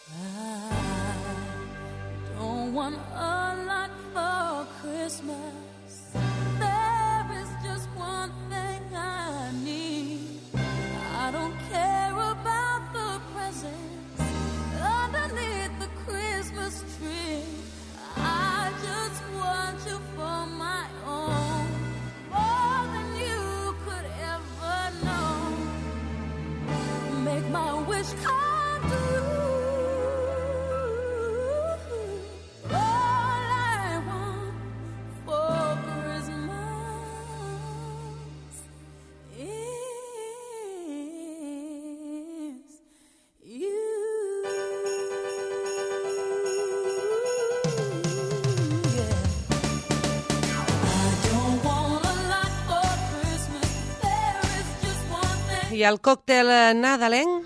I don't want a lot for Christmas. There is just one thing I need. I don't care about the presents underneath the Christmas tree. I just want you for my own, more than you could ever know. Make my wish come true. All I want for Christmas is you. I el còctel nadalenc?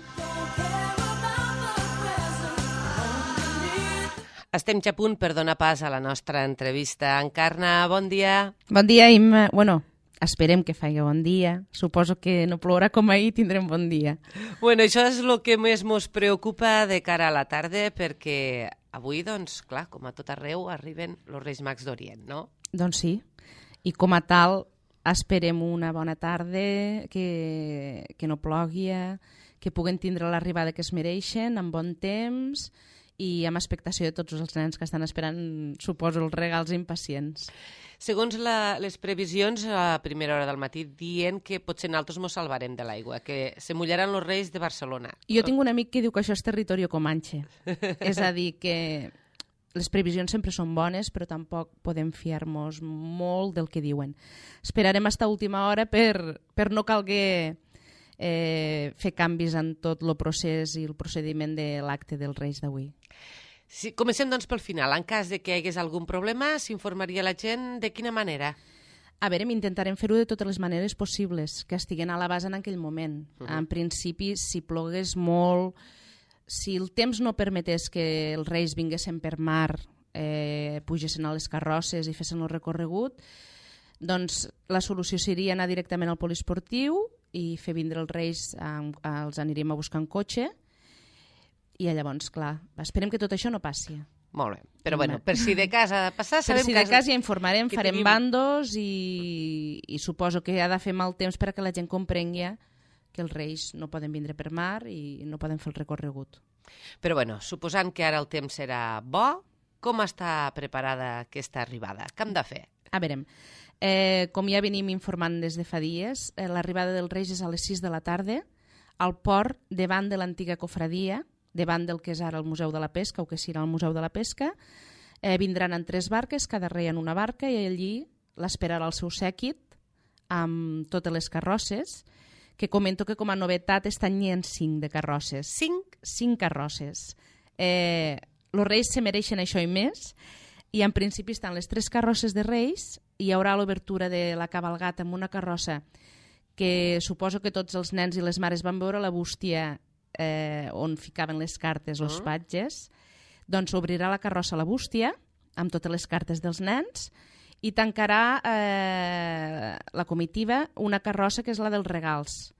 Estem ja a punt per donar pas a la nostra entrevista. Encarna, bon dia. Bon dia, Imma. Bueno, esperem que faci bon dia. Suposo que no plourà com ahir, tindrem bon dia. Bueno, això és el que més ens preocupa de cara a la tarda, perquè avui, doncs, clar, com a tot arreu, arriben els Reis Mags d'Orient, no? Doncs sí. I com a tal, esperem una bona tarda, que no plogui, que puguen tindre l'arribada que es mereixen, amb bon temps i amb expectació de tots els nens que estan esperant, suposo, els regals impacients. Segons les previsions, a primera hora del matí, dient que potser nosaltres mos salvarem de l'aigua, que se mullaran els Reis de Barcelona. Jo tinc un amic que diu que això és territori comanche. És a dir, que les previsions sempre són bones, però tampoc podem fiar-nos molt del que diuen. Esperarem fins a última hora per no calguer fer canvis en tot el procés i el procediment de l'acte dels Reis d'avui. Sí, comencem doncs pel final. En cas de que hi hagués algun problema, s'informaria la gent de quina manera? A veure, intentarem fer-ho de totes les maneres possibles, que estiguen a la base en aquell moment. En principi, si plogués molt, si el temps no permetés que els Reis vinguessin per mar, pugessin a les carrosses i fessin el recorregut, doncs la solució seria anar directament al poliesportiu i fer vindre els Reis, els aniríem a buscar en cotxe, i llavors, clar, esperem que tot això no passi. Molt bé, però bueno, per si de cas ha de passar... Per si de cas ja informarem, farem bandos i suposo que ha de fer mal temps perquè la gent comprengui que els Reis no poden vindre per mar i no poden fer el recorregut. Però bueno, suposant que ara el temps serà bo, com està preparada aquesta arribada? Què hem de fer? A veure, com ja venim informant des de fa dies, l'arribada dels Reis és a les 6 de la tarda al port davant de l'antiga cofradia, davant del que és ara el Museu de la Pesca o que serà el Museu de la Pesca. Vindran en 3 barques, cada rei en una barca, i allí l'esperarà el seu sèquit amb totes les carrosses, que comento que com a novetat estan en 5 de carrosses. 5 carrosses. Els Reis se mereixen això i més, i en principi estan les 3 carrosses de Reis, hi haurà l'obertura de la cabalgata amb una carrossa que suposo que tots els nens i les mares van veure la bústia on ficaven les cartes els patges. Doncs obrirà la carrossa la bústia amb totes les cartes dels nens i tancarà la comitiva una carrossa que és la dels regals.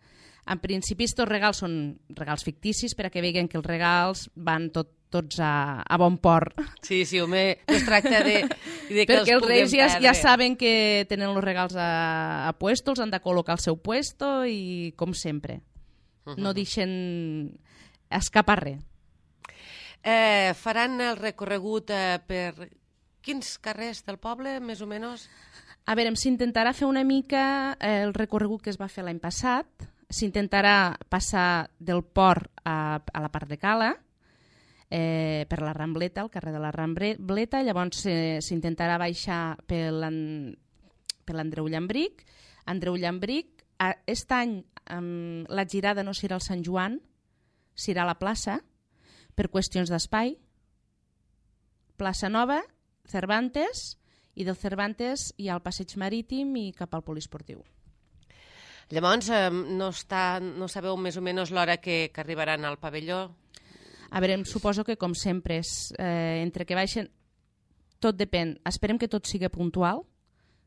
En principi, aquests regals són regals ficticis per a que vegin que els regals van tots a bon port. Sí, home, no es tracta de que perquè els Reis perdre. Ja saben que tenen els regals a puesto, els han de col·locar al seu puesto i, com sempre, no deixen escapar res. Faran el recorregut per quins carrers del poble, més o menys? A veure, s'intentarà fer una mica el recorregut que es va fer l'any passat. S'intentarà passar del port a la part de Cala, per la Rambleta, al carrer de la Rambleta. Llavors s'intentarà baixar per l'Andreu Llambric. Andreu Llambric, aquest any la girada no serà al Sant Joan, serà a la plaça, per qüestions d'espai. Plaça Nova, Cervantes, i del Cervantes hi ha el passeig marítim i cap al poliesportiu. Llavors, no sabeu més o menys l'hora que arribaran al pavelló? A veure, suposo que, com sempre, entre que baixen, tot depèn. Esperem que tot sigui puntual,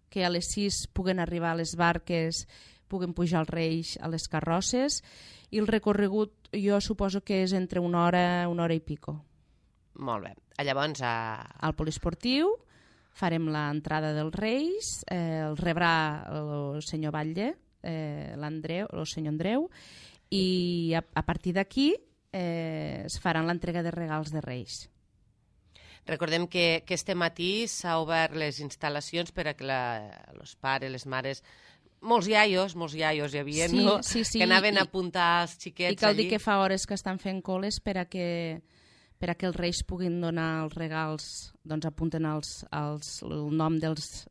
que a les 6 puguen arribar a les barques, puguen pujar els Reis a les carrosses, i el recorregut jo suposo que és entre una hora i pico. Molt bé. Llavors, Al poliesportiu farem l'entrada dels Reis, el rebrà el senyor Batlle, l'Andreu, el senyor Andreu, i a partir d'aquí es faran l'entrega de regals de Reis. recordem que este matí s'ha obert les instal·lacions per a que els pares, les mares, molts iaios hi havia, Sí, no? sí, sí, que anaven a i- apuntar els xiquets I cal dir allí. que fa hores que estan fent coles per a que els Reis puguin donar els regals, doncs apunten el nom dels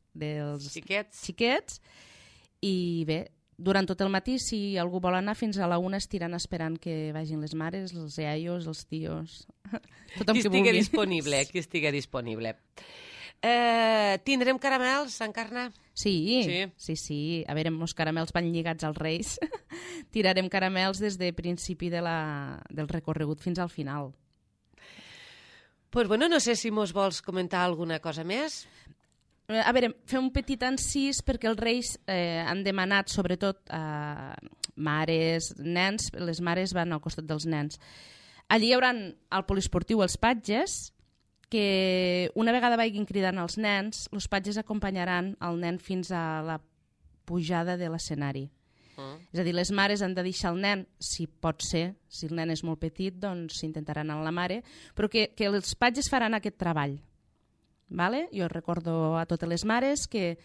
Xiquets. xiquets, i bé, durant tot el matí, si algú vol anar, fins a la 1 estiran esperant que vagin les mares, els iaios, els tios, tothom Qui que estigui vulgui. disponible. Tindrem caramels, Encarna? Sí. A veure, els caramels van lligats als Reis. Tirarem caramels des de principi del recorregut fins al final. Pues bueno, no sé si mos vols comentar alguna cosa més. A veure, fer un petit encís perquè els Reis han demanat, sobretot mares, nens, les mares van al costat dels nens. Allí hi haurà al poliesportiu els patges, que una vegada vagin cridant els nens, els patges acompanyaran el nen fins a la pujada de l'escenari. És a dir, les mares han de deixar el nen, si pot ser, si el nen és molt petit, doncs s'intentaran amb la mare, però que els patges faran aquest treball. Vale? Jo recordo a totes les mares que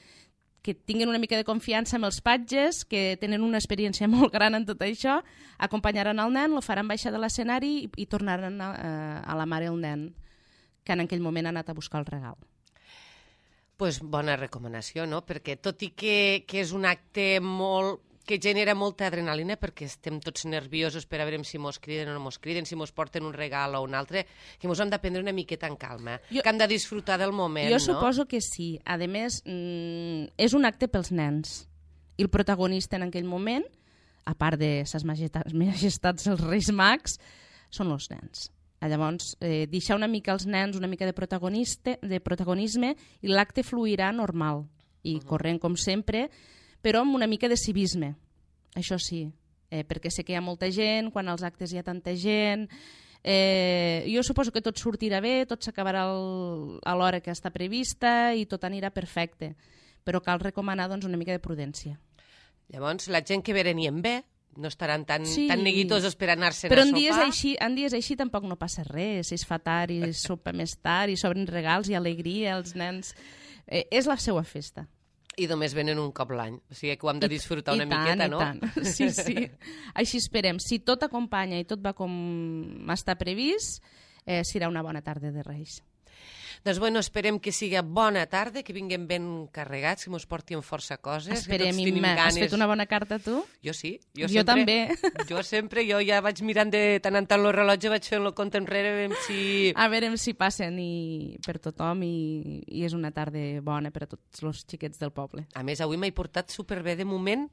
tinguin una mica de confiança amb els patges, que tenen una experiència molt gran en tot això, acompanyaran el nen, lo faran baixar de l'escenari i tornaran a la mare el nen, que en aquell moment ha anat a buscar el regal. Pues bona recomanació, no? Perquè tot i que és un acte que genera molta adrenalina, perquè estem tots nerviosos per a veure si mos criden o no mos criden, si mos porten un regal o un altre, que mos hem de prendre una miqueta en calma, que hem de disfrutar del moment, Jo no? suposo que sí. A més, és un acte pels nens. I el protagonista en aquell moment, a part de ses majestats els Reis Mags, són els nens. Llavors, deixar una mica als nens una mica de protagonisme i l'acte fluirà normal i corrent com sempre, però amb una mica de civisme, això sí, perquè sé que hi ha molta gent, quan als actes hi ha tanta gent, jo suposo que tot sortirà bé, tot s'acabarà a l'hora que està prevista i tot anirà perfecte, però cal recomanar doncs, una mica de prudència. Llavors, la gent que venien bé, no estaran tan Sí. neguitosos per anar-se'n Però a en sopar. dies així tampoc no passa res, si es fa tard i es sopa més tard i s'obren regals i alegria als nens. És la seva festa. I només venen un cop l'any, o sigui que ho hem de disfrutar una miqueta, no? I tant. Sí, sí. Així esperem. Si tot acompanya i tot va com està previst, serà una bona tarda de Reis. Doncs bueno, esperem que siga bona tarda, que vinguem ben carregats, que mos portin força coses. Esperem, que tots tenim Imma. ganes. Has fet una bona carta, tu? Jo sí. Jo també. Jo ja vaig mirant de tant en tant el rellotge, vaig fent el compte enrere, veiem si... A veure si passen per tothom i és una tarda bona per a tots els xiquets del poble. A més, avui m'he portat superbé de moment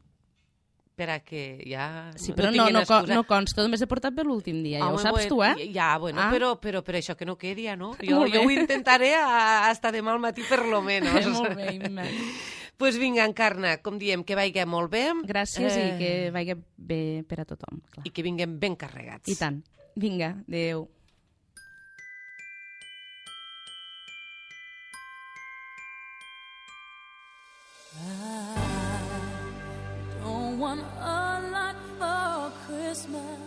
per a que ja Sí, però tinguin excusa. no consta, només he portat bé l'últim dia, ja ho saps tu, eh? Ja, bueno, Ah. però per això que no quedi, ja, no? Molt bé. Jo ho intentaré hasta demà al matí, per lo menos. Molt bé, Imma. Pues vinga, Encarna, com diem, que vagi molt bé. Gràcies i que vagi bé per a tothom. Clar. I que vinguem ben carregats. I tant. Vinga, adéu. Don't want a lot for Christmas.